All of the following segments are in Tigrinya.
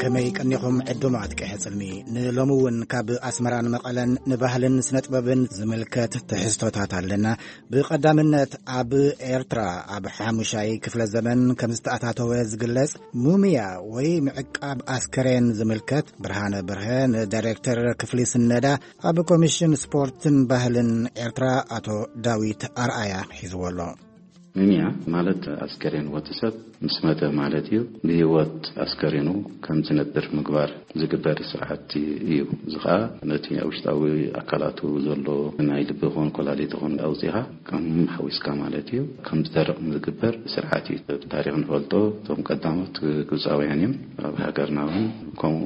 ከመይ ቀኒኹም ዕዱማት ቀይሕ ጽልሚ? ንሎሚ እውን ካብ ኣስመራን መቐለን ንባህልን ስነጥበብን ዝምልከት ትሕዝቶታት ኣለና። ብቐዳምነት ኣብ ኤርትራ ኣብ ሓሙሻይ ክፍለ ዘመን ከም ዝተኣታተወ ዝግለጽ ሙምያ ወይ ምዕቃብ ኣስከሬን ዝምልከት ብርሃነ በርሀ ንዳይሬክተር ክፍሊ ስነዳ ኣብ ኮሚሽን ስፖርትን ባህልን ኤርትራ ኣቶ ዳዊት ኣርኣያ ሒዝዎ ኣሎ። ሙምያ ማለት ኣስከሬን ወዲ ሰብ ምስ መተ ማለት እዩ። ብህይወት ኣስከሬኑ ከም ዝነብር ምግባር ዝግበር ስርዓት እዩ። እዚ ኸኣ ነቲ ኣብ ውሽጣዊ ኣካላቱ ዘሎ ናይ ልቢ ይኹን ኮላሊት ይኹን ኣውጺኻ ከም ሓዊስካ ማለት እዩ። ከም ዝደርቕ ዝግበር ስርዓት እዩ። ብታሪኽ ንፈልጦ እቶም ቀዳሞት ግብጻውያን እዮም። ኣብ ሃገርና እውን ከምኡ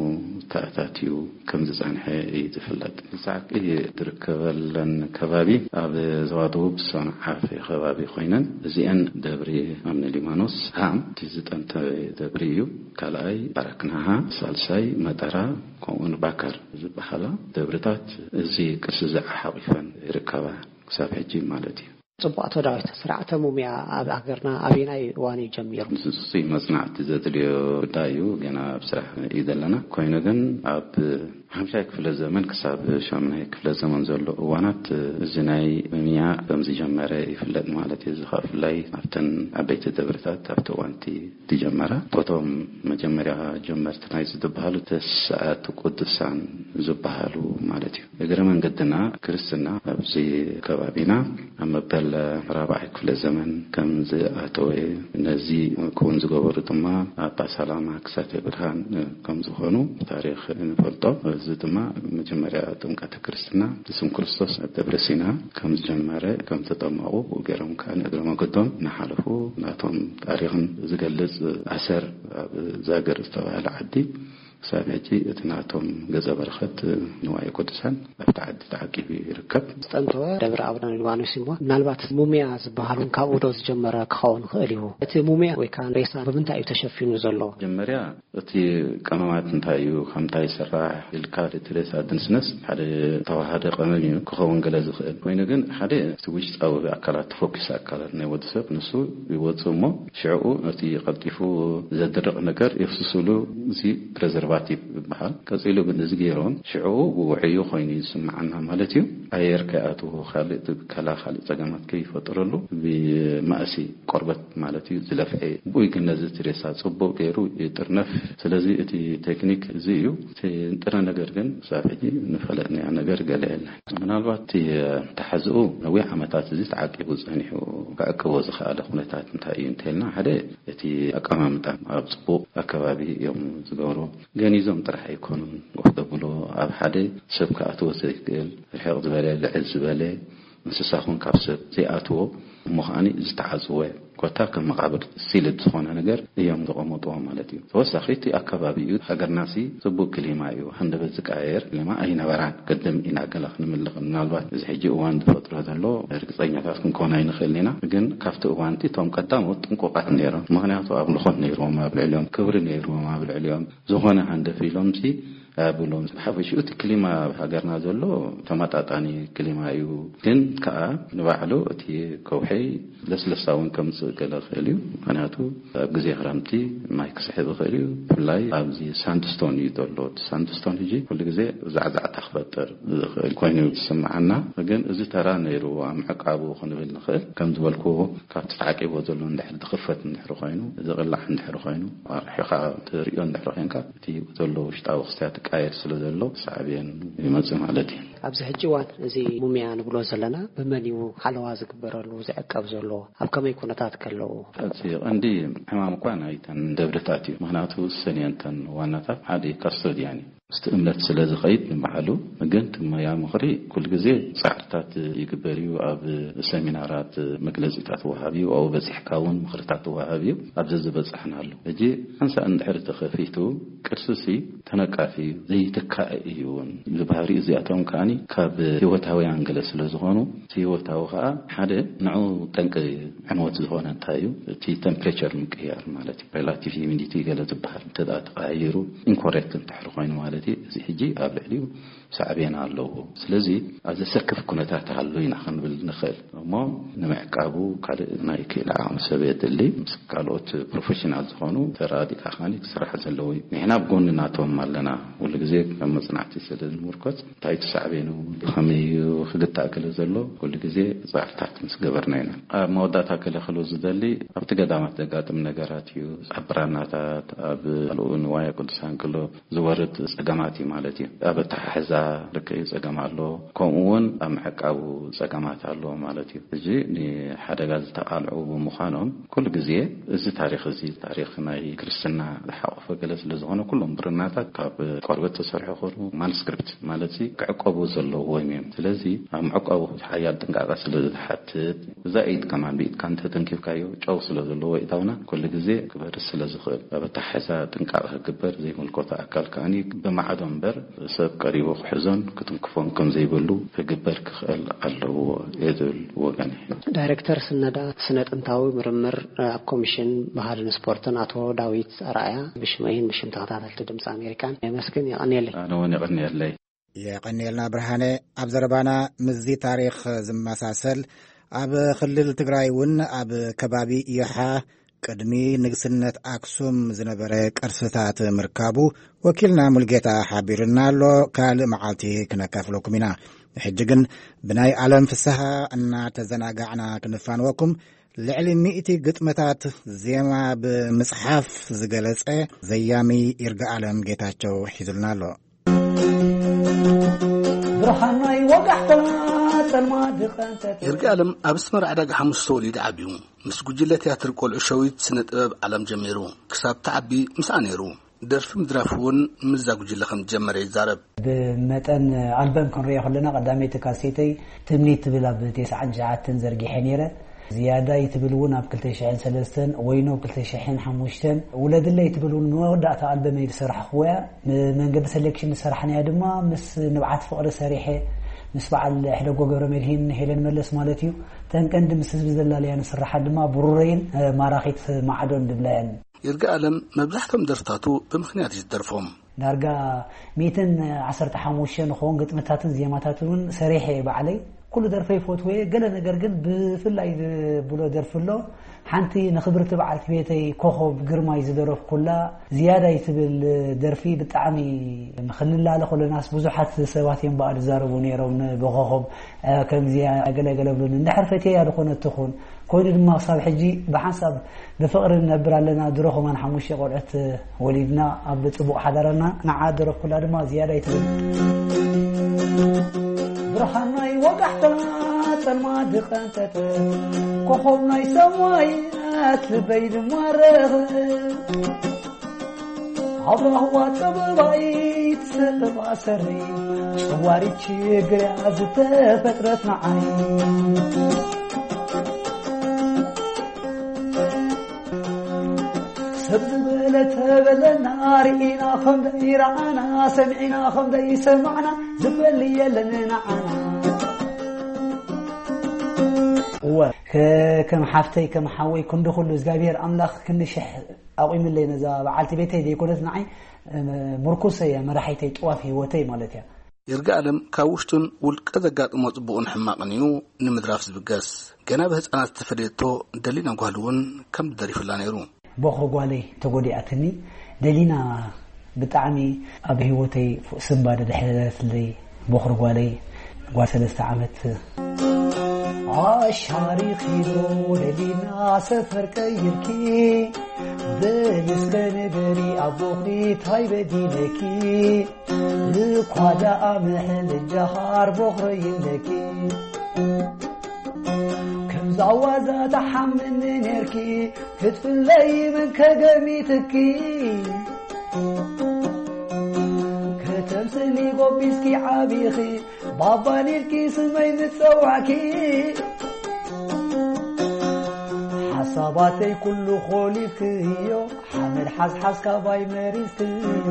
ተኣታትዩ ከም ዝጸንሐ እዩ ዝፍለጥ። ዛዕቂ ዝርከበለን ከባቢ ኣብ ዞባ ደቡብ ሰንዓፈ ከባቢ ኮይነን፣ እዚአን ደብሪ ኣምነ ሊባኖስ፣ ሃም እቲ ዝጠንተ ደብሪ እዩ። ካልኣይ ባራክናሃ፣ ሳልሳይ መጠራ፣ ከምኡውን ባከር ዝበሃላ ደብርታት እዚ ቅርሲ እዚ ሓቒፈን ይርከባ ክሳብ ሕጂ ማለት እዩ። ጽቡቕ ኣቶ ዳዊት፣ ስርዓተ ሙምያ ኣብ ሃገርና ኣበየናይ እዋን እዩ ጀሚሩ? ንሱ መጽናዕቲ ዘድልዮ ጉዳይ እዩ። ገና ኣብ ስራሕ እዩ ዘለና። ኮይኑ ግን ኣብ ሓምሻይ ክፍለ ዘመን ክሳብ ሻምናይ ክፍለ ዘመን ዘሎ እዋናት እዚ ናይ ሙምያ ከም ዝጀመረ ይፍለጥ ማለት እዩ። እዚ ኸኣ ብፍላይ ኣብተን ዓበይቲ ደብርታት ኣብቲ እዋንቲ ዝጀመረ፣ እቶም መጀመርያ ጀመርቲ ናይ ዝበሃሉ ተስዓቱ ቅዱሳን ዝበሃሉ ማለት እዩ። እግረ መንገድና ክርስትና ኣብዚ ከባቢና ኣብ መበል ራብዓይ ክፍለ ዘመን ከም ዝኣተወ፣ ነዚ ክውን ዝገበሩ ድማ ኣባ ሰላማ ክሳቴ ብርሃን ከም ዝኾኑ ታሪኽ ንፈልጦ። እዚ ድማ መጀመርያ ጥምቀተ ክርስትና ብስም ክርስቶስ ኣብ ደብረ ሲና ከም ዝጀመረ፣ ከም ተጠመቑ፣ ብኡ ገይሮም ከኣ ንእግረ መንገዶም እናሓለፉ ናቶም ታሪኽን ዝገልጽ ኣሰር ኣብ ዛገር ዝተባህለ ዓዲ ክሳብ ሕጂ እቲ ናቶም ገጸ በረኸት ንዋየ ቅዱሳን ኣብቲ ዓዲ ተዓቂቡ ይርከብ። ዝጠንተወ ደብረ ኣቡነ ሊባኖስ እሞ፣ ምናልባት ሙምያ ዝበሃል እውን ካብኡ ዶ ዝጀመረ ክኸውን ይኽእል እዩ? እቲ ሙምያ ወይ ከዓ ሬሳ ብምንታይ እዩ ተሸፊኑ ዘሎ? መጀመርያ እቲ ቀመማት እንታይ እዩ፣ ካብ ምንታይ ይስራሕ ኢልካ እቲ ሬሳ ድንስነስ ሓደ ተዋሃደ ቀመም እዩ ክኸውን ገለ ዝኽእል። ኮይኑ ግን ሓደ እቲ ውሽጣዊ ኣካላት፣ ተፈኲስ ኣካላት ናይ ወዲ ሰብ ንሱ ይወጽእ እሞ ሽዕኡ እቲ ቀልጢፉ ዘድርቕ ነገር የፍስስሉ፣ እዚ ፕሬዘርቫቲቭ ይበሃል። ቀጺሉ ግን እዚ ገይሮም ሽዕኡ ውዑይ ኮይኑ ይስምዓና ማለት እዩ። ኣየር ከይኣትዎ፣ ካልእ እቲ ብከላ ካልእ ጸገማት ከይፈጥረሉ ብማእሲ ቆርበት ማለት እዩ ዝለፍዐ። ብኡ ግን ነዚ እቲ ሬሳ ጽቡቕ ገይሩ ይጥርነፍ። ስለዚ እቲ ቴክኒክ እዚ እዩ። እቲ ንጥረ ነገር ግን ክሳብ ሕጂ ንፈለጥናዮ ነገር ገለ የለን። ምናልባት እቲ ተሓዝኡ ነዊሕ ዓመታት እዚ ተዓቂቡ ጸኒሑ ክዕቅቦ ዝኸኣለ ኩነታት እንታይ እዩ እንተልና፣ ሓደ እቲ ኣቀማምጣ ኣብ ጽቡቕ ኣከባቢ እዮም ዝገብሩ። ገኒዞም ጥራሕ ኣይኮኑን ኮፍ ዘብሉ፣ ኣብ ሓደ ሰብ ክኣትዎ ዘይክእል ርሕቕ ዝበለ፣ ልዕል ዝበለ፣ እንስሳ ኹን ካብ ሰብ ዘይኣትዎ፣ እሞ ከኣኒ ዝተዓጽወ ኮታ ከም መቓብር ሲልድ ዝኾነ ነገር እዮም ዘቐመጥዎ ማለት እዩ። ተወሳኺ እቲ ኣከባቢ እዩ። ሃገርናሲ ጽቡቕ ክሊማ እዩ። ሃንደበት ዝቀያየር ክሊማ ኣይነበራን። ቅድም ኢና ገለ ክንምልኽ፣ ምናልባት እዚ ሕጂ እዋን ዝፈጥሮ ዘሎ ርግጸኛታት ክንኮን ኣይንኽእልን ኢና። ግን ካብቲ እዋንቲ እቶም ቀዳሞት ጥንቁቓት ነይሮም። ምኽንያቱ ኣምልኾት ነይርዎም ኣብ ልዕሊኦም፣ ክብሪ ነይርዎም ኣብ ልዕሊኦም። ዝኾነ ሃንደፍ ኢሎምሲ ኣያብሎም። ብሓፈሽኡ እቲ ክሊማ ኣብ ሃገርና ዘሎ ተመጣጣኒ ክሊማ እዩ። ግን ከኣ ንባዕሉ እቲ ከውሒ ለስለሳ እውን ከምጽእ ገለ ክእል እዩ። ምኽንያቱ ኣብ ግዜ ክረምቲ ማይ ክስሕብ ይኽእል እዩ። ብፍላይ ኣብዚ ሳንድስቶን እዩ ዘሎ። እቲ ሳንድስቶን ሕጂ ኩሉ ግዜ ዛዕዛዕታ ክፈጥር ዝኽእል ኮይኑ ዝስምዓና። ግን እዚ ተራ ነይሩ ኣብ ምዕቃቡ ክንብል ንኽእል። ከም ዝበልክዎ ካብቲ ተዓቂቦ ዘሎ እንድሕር ዝኽፈት እንድሕር ኮይኑ፣ ዝቕላዕ እንድሕር ኮይኑ፣ ኣርሒኻ ትርእዮ እንድሕር ኮይንካ፣ እቲ ዘሎ ውሽጣዊ ክስተያት ይቃየር ስለ ዘሎ ሳዕቤን ይመጽእ ማለት እዩ። ኣብዚ ሕጂ እዋን እዚ ሙምያ ንብሎ ዘለና ብመን እዩ ሓለዋ ዝግበረሉ፣ ዝዕቀብ ዘሎ? ኣብ ከመይ ኩነታት ከለዉ? እቲ ቀንዲ ሕማም እኳ ናይተን ደብርታት እዩ። ምኽንያቱ እሰን እየን እተን ዋናታት፣ ሓደ ካስቶዲያን እዩ። ምስቲ እምነት ስለ ዝኸይድ ንባዕሉ፣ ግን እቲ ሙያ ምኽሪ ኩሉ ግዜ ጻዕርታት ይግበር እዩ። ኣብ ሰሚናራት መግለጺታት ወሃብ እዩ። ኣብኡ በጺሕካ እውን ምኽርታት ወሃብ እዩ። ኣብ ዘዝበጻሕናሉ ሕጂ ሓንሳእ እንድሕር ተኸፊቱ ቅርሲሲ ተነቃፊ እዩ፣ ዘይትካእ እዩ እውን። እዚ ባህሪ እዚኣቶም ከኣ ካብ ህይወታውያን ገለ ስለ ዝኾኑ፣ እቲ ህይወታዊ ከዓ ሓደ ንዑ ጠንቂ ዕንወት ዝኾነ እንታይ እዩ? እቲ ቴምፕሬቸር ምቅያር ማለት እዩ። ሬላቲቭ ሂሚዲቲ ገለ ዝበሃል እንተ ደኣ ተቐያይሩ፣ ኢንኮሬክት እንተሕር ኮይኑ ማለት እዩ፣ እዚ ሕጂ ኣብ ልዕሊኡ ሳዕቤን ኣለዎ። ስለዚ ኣብ ዘሰክፍ ኩነታት ኣሎ ኢና ክንብል ንኽእል። እሞ ንምዕቃቡ ካልእ ናይ ክኢላ ዓቕሚ ሰብ የድሊ። ምስ ካልኦት ፕሮፌሽናል ዝኾኑ ተራዲእካ ከዓኒ ክስራሕ ዘለዎ እዩ። ንሕና ኣብ ጎኒ ናቶም ኣለና። ኩሉ ግዜ ከም መጽናዕቲ ስለ ንምርኮስ እንታይ ተሳዕቤኑ ብኸመይ እዩ ክግታእ ክለ ዘሎ ኩሉ ግዜ ጻዕርታት ምስ ገበርና ኢና። ኣብ መወዳእታ ክለ ክሉ ዝደሊ ኣብቲ ገዳማት ዘጋጥም ነገራት እዩ። ኣብ ብራናታት፣ ኣብ ካልኡ ንዋየ ቅዱሳን ክሎ ዝወርድ ጸገማት እዩ ማለት እዩ። ኣብ ኣተሓሕዛ ርክብ ጸገም ኣሎ፣ ከምኡ እውን ኣብ ምዕቃቡ ጸገማት ኣሎ ማለት እዩ። እዚ ንሓደጋ ዝተቓልዑ ብምዃኖም ኩሉ ግዜ እዚ ታሪኽ እዚ ታሪኽ ናይ ክርስትና ዝሓቆፈ ገለ ስለ ዝኾነ ኩሎም ብርናታት ካብ ቆርበት ተሰርሑ ኮኑ ማኑስክሪፕት ማለት እዚ ክዕቆቡ ዘለዎም እዮም። ስለዚ ኣብ ምዕቃቡ ሓያል ጥንቃቐ ስለ ዝሓትት እዛ ኢድ ከማን ብኢድካ እንተተንኪፍካዮ ጨው ስለ ዘለዎ ኢታውና ኩሉ ግዜ ክበርስ ስለ ዝኽእል ኣብ ኣተሓሕዛ ጥንቃቐ ክግበር ዘይምልከቶ ኣካል ከዓኒ ብማዕዶ እምበር ሰብ ቀሪቡ ክሕዞን ክትንክፎን ከም ዘይብሉ ክግበር ክኽእል ኣለዎ እየ ዝብል ወገን እየ። ዳይሬክተር ስነዳ ስነ ጥንታዊ ምርምር ኣብ ኮሚሽን ባህልን ስፖርትን ኣቶ ዳዊት ኣርኣያ ብሽመይን ብሽም ተኸታተልቲ ድምፂ ኣሜሪካን የመስግን። የቐንየለይ። ኣነ እውን የቐንየለይ። የቐንየልና ብርሃነ። ኣብ ዘረባና ምስዚ ታሪኽ ዝመሳሰል ኣብ ክልል ትግራይ እውን ኣብ ከባቢ ይሓ ቅድሚ ንግስነት ኣክሱም ዝነበረ ቅርስታት ምርካቡ ወኪልና ሙልጌታ ሓቢርና ኣሎ። ካልእ መዓልቲ ክነካፍለኩም ኢና። ሕጂ ግን ብናይ ዓለም ፍስሃ እናተዘናጋዕና ክንፋንወኩም ልዕሊ ሚእቲ ግጥምታት ዜማ ብምጽሓፍ ዝገለጸ ዘያሚ ይርጋ ዓለም ጌታቸው ሒዙልና ኣሎ። ብርሃናይ ወጋሕታ ጸልማ ድቐንተት። ይርጋ ዓለም ኣብ ኣስመራ ዕዳጋ ሓሙስ ተወሊዱ ዓብዩ። ምስ ጉጅለ ትያትር ቆልዑ ሸዊት ስነ ጥበብ ዓለም ጀሚሩ። ክሳብ ተዓቢ ምስኣ ነይሩ። ደርፊ ምድራፍ እውን ምስዛ ጉጅለ ከም ዝጀመረ ይዛረብ። ብመጠን ኣልበም ክንሪኦ ከለና ቀዳመይቲ ካሴተይ ትምኒት ትብል ኣብ ተስዓን ትሽዓተን ዘርጊሐ ነይረ። ዝያዳይ ትብል እውን ኣብ ክልተ ሽሕን ሰለስተን፣ ወይኖ ክልተ ሽሕን ሓሙሽተን፣ ውለድለይ ትብል እውን መወዳእታ ኣልበመይ ዝሰራሕኽዎ እያ። ንመንገዲ ሰሌክሽን ዝሰራሕናያ ድማ ምስ ንብዓት ፍቕሪ ሰሪሐ፣ ምስ በዓል ሕደጎ ገብረ መድሂን ሄለን መለስ ማለት እዩ። ተን ቀንዲ ምስ ህዝቢ ዘላለያ ንስራሓት ድማ ብሩረይን ማራኺት ማዕዶን ዝብላ እየን። ይርጋ ኣለም መብዛሕቶም ደርፍታቱ ብምኽንያት እዩ ዝደርፎም። ዳርጋ ሚእትን ዓሰርተ ሓሙሽተ ንኸውን ግጥምታትን ዜማታትን እውን ሰሪሐ እየ ባዕለይ። ኩሉ ደርፈይ ይፈትዎ እየ። ገለ ነገር ግን ብፍላይ ዝብሎ ደርፊ ኣሎ። ሓንቲ ንኽብርቲ በዓልቲ ቤተይ ኮኾብ ግርማይ ዝደረፍኩላ ዝያዳይ ትብል ደርፊ ብጣዕሚ፣ ንኽንላለ ከለናስ ብዙሓት ሰባት እዮም በኣል ዝዛረቡ ነይሮም፣ ብኮኾብ፣ እ፣ ከምዚኣ ገለ ገለ ብሉኒ። እንድሕር ፈትየያ ዝኾነት ትኹን። ኮይኑ ድማ ክሳብ ሕጂ ብሓንሳብ ብፍቕሪ ንነብር ኣለና። ድሮ ከማን ሓሙሽተ ቆልዑት ወሊድና ኣብ ጽቡቕ ሓዳር ኣለና። ንዓ ደረፍኩላ ድማ ዝያዳ ይትብል። ብርሃን ናይ ወጋሕታ ጸልማ ድቐንጠጠ፣ ኮኾብ ናይ ሰማያት ልበይ ድማ ረኸ። ኣብ ራህዋ ጥበባይ ትስዕባ ሰሪ፣ ጨዋሪት ችግርያ ዝተፈጥረት ንዓይ። ሰብ ዝበለ ተበለና፣ ርኢና ከም ደይረኣና፣ ሰሚዕና ከም ደይሰማዕና፣ ዝበል የለን ንዓና። እወ፣ ከ-፣ ከም ሓፍተይ፣ ከም ሓወይ፣ ክንዲ ኩሉ እግዚኣብሔር ኣምላኽ ክንዲ ሽሕ ኣቑምለይ ነዛ በዓልቲ ቤተይ ዘይኮነት ንዓይ፣ እ፣ ምርኩሰይ እያ፣ መራሒተይ፣ ጥዋፍ ህይወተይ ማለት እያ። ይርጋኣለም ካብ ውሽጡን ውልቀ ዘጋጥሞ ጽቡቕን ሕማቕን እዩ ንምድራፍ ዝብገስ። ገና ብህጻናት ዝተፈለየቶ ደሊና ጓል እውን ከም ዝደሪፍላ ነይሩ። ቦኽሪ ጓለይ ተጎዲኣትኒ፣ ደሊና ብጣዕሚ ኣብ ህይወተይ ስንባደ ዘሕደረትለይ ቦኽሪ ጓለይ፣ ጓል ሰለስተ ዓመት። ኣሻሪኺ ዶ ደሊና ሰፈር ቀይርኪ፣ በሊ እስከ ንገሪ ኣቦኺ ታይ በዲለኪ? እኳ ደኣ ምሕልጃኻር ቦኽረይ ኣለኪ። ከምዛ ዋዛ ተሓምኒ ኔርኪ፣ ክትፍለይ መን ከገሚትኪ? ከተምስሊ ጎቢስኪ ዓቢኺ፣ ባባ ኒልኪ ስመይ ምጸዋዕኪ። ሓሳባተይ ኩሉ ኮሊፍክዮ፣ ሓመድ ሓዝሓዝ ካባይ መሪዝክዮ።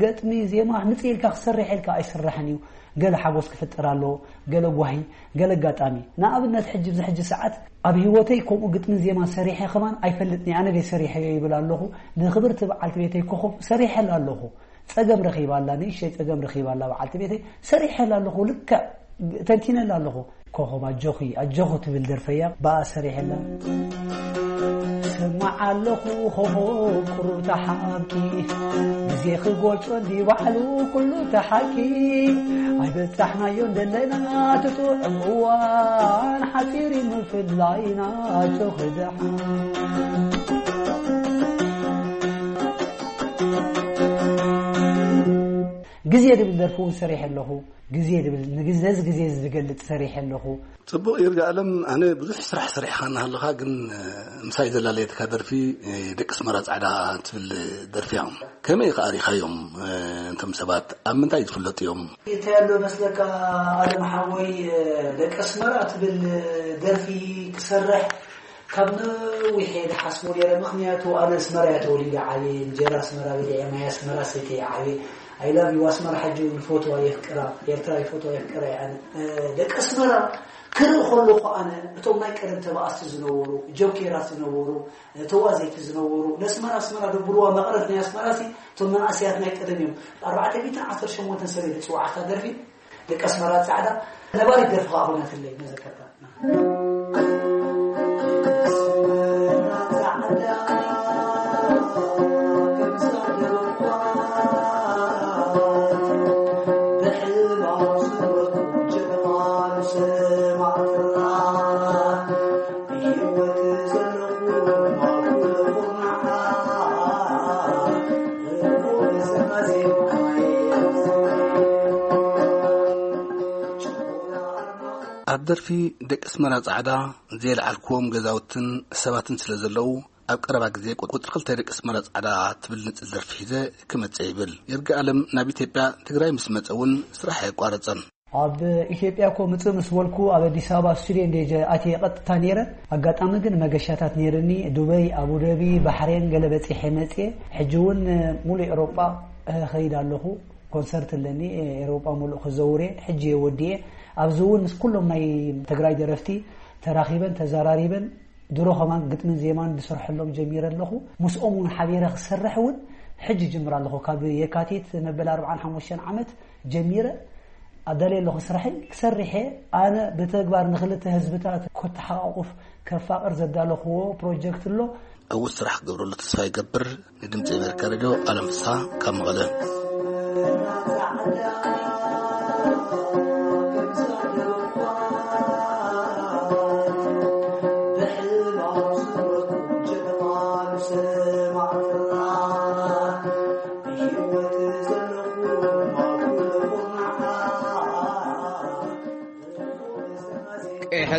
ገጥሚ ዜማ ምጽእ ኢልካ ክሰርሕ ኢልካ ኣይስራሕን እዩ። ገለ ሓጎስ ክፍጥር ኣለዎ፣ ገለ ጓሂ፣ ገለ ኣጋጣሚ። ንኣብነት ሕጂ፣ ኣብዚ ሕጂ ሰዓት ኣብ ህይወተይ ከምኡ ግጥምን ዜማን ሰሪሐ ከማን ኣይፈልጥን እየ። ኣነ ደይ ሰሪሐዮ ይብል ኣለኹ። ንክብርቲ በዓልቲ ቤተይ ኮኾብ ሰሪሐላ ኣለኹ። ጸገም ረኺባ ኣላ፣ ንእሽተይ ጸገም ረኺባ ኣላ በዓልቲ ቤተይ። ሰሪሐላ ኣለኹ፣ ልክዕ ተንቲነላ ኣለኹ። ኮኾብ ኣጆኺ ኣጆኹ ትብል ደርፈያ ብኣ ሰሪሐላ። ስማዕ ኣለኹ ኮኾብ ቁሩብ ተሓብኪ፣ ግዜ ክገልጾ እንዲ ባዕሉ ኩሉ ተሓኪ። ኣይበጻሕናዮን ደለና ትጥዑም እዋን ሓጺር እዩ ምፍላይና። ኣጆኺ ደሓን። ግዜ ዝብል ደርፊ እውን ሰሪሐ ኣለኹ። ግዜ ዝብል ንግዘዝ ግዜ ዝገልጽ ሰሪሐ ኣለኹ። ጽቡቕ ይርጋ ኣለም፣ ኣነ ብዙሕ ስራሕ ሰሪሕካ እናሃለኻ ግን፣ እ፣ ምሳይ ዘላለየትካ ደርፊ፣ እ፣ ደቂ ኣስመራ ጻዕዳ ትብል ደርፊ እዮም። ከመይ ኢኻ ኣሪኻዮም? እ፣ እንቶም ሰባት ኣብ ምንታይ ዝፍለጡ እዮም? እንታይ ኣሎ መስለካ ኣለም ሓወይ፣ እ፣ ደቂ ኣስመራ ትብል ደርፊ ክሰርሕ ካብ ነዊሕ እየ ዝሓስቦ ነይረ። ምኽንያቱ ኣነ ኣስመራ እየ ተወሊደ ዓብየ፣ እንጀራ ኣስመራ በሊዐ፣ ማይ ኣስመራ ሰትየ እየ ዓብየ። ኣይ ላቭ ዩ ኣስመራ። ሕጂ እውን ይፈትዋ የፍቅራ፣ ኤርትራ ይፈትዋ የፍቅራ እየ ኣነ። እ፣ ደቂ ኣስመራ ክርኢ ከለኹ ኣነ እቶም ናይ ቀደም ተባኣስቲ ዝነበሩ፣ ጆኬራት ዝነበሩ፣ እ፣ ተዋዘይቲ ዝነበሩ፣ ነስመራ ኣስመራ ደብርዋ መቐረት ናይ ኣስመራ ሲ እቶም መናእሰያት ናይ ቀደም እዮም። ኣርባዕተ ሚእትን ዓሰርተ ሸሞንተን ሰበይቲ ዝጽዋዕካ ደርፊ ደቂ ኣስመራ ጻዕዳ ነባሪት ደርፊ ከኣ ኮይናትለይ መዘከርታ። ኣብ ደርፊ ደቂ ኣስመራ ጻዕዳ፣ ዘየልዓልክዎም ገዛውትን ሰባትን ስለ ዘለዉ፣ ኣብ ቀረባ ግዜ ቁጽሪ ክልተ ደቂ ኣስመራ ጻዕዳ ትብል ንጽል ደርፊ ሒዘ ክመጽእ ይብል። ይርጋ ኣለም ናብ ኢትዮጵያ፣ ትግራይ ምስ መጸ እውን ስራሕ ኣየቋረጸን። ኣብ ኢትዮጵያ እኮ ምጽእ ምስ በልኩ፣ ኣብ ኣዲስ ኣበባ ስቱድዮ እንደ ኣትየ ቀጥታ ነይረ። ኣጋጣሚ ግን መገሻታት ነይርኒ፣ ዱበይ፣ ኣቡደቢ፣ ባሕሬን ገለ በጺሐ መጽየ። ሕጂ እውን ሙሉእ ኤውሮጳ እኸይድ ኣለኹ። ኮንሰርት ኣለኒ፣ ኤውሮጳ ሙሉእ ክዘውር እየ። ሕጂ እየ ወዲኤ። ኣብዚ እውን ምስ ኩሎም ናይ ትግራይ ደረፍቲ ተራኺበን ተዘራሪበን ድሮ ከማን ግጥምን ዜማን ዝሰርሐሎም ጀሚረ ኣለኹ። ምስኦም እውን ሓቢረ ክሰርሕ እውን ሕጂ ጅምር ኣለኹ። ካብ የካቲት መበል ኣርባዓን ሓሙሽተን ዓመት ጀሚረ ኣዳልየ ኣለኹ ስራሐይ። ክሰርሕ እየ። ኣነ ብተግባር ንክልተ ህዝብታት ከተሓቋቁፍ ከፋቕር ዘዳለኽዎ ፕሮጀክት ኣሎ። ዕዉት ስራሕ ክገብረሉ ተስፋ ይገብር። ንድምፂ ኣሜሪካ ሬድዮ ኣለም ፍስሃ ካብ መቐለ። ቀይሐ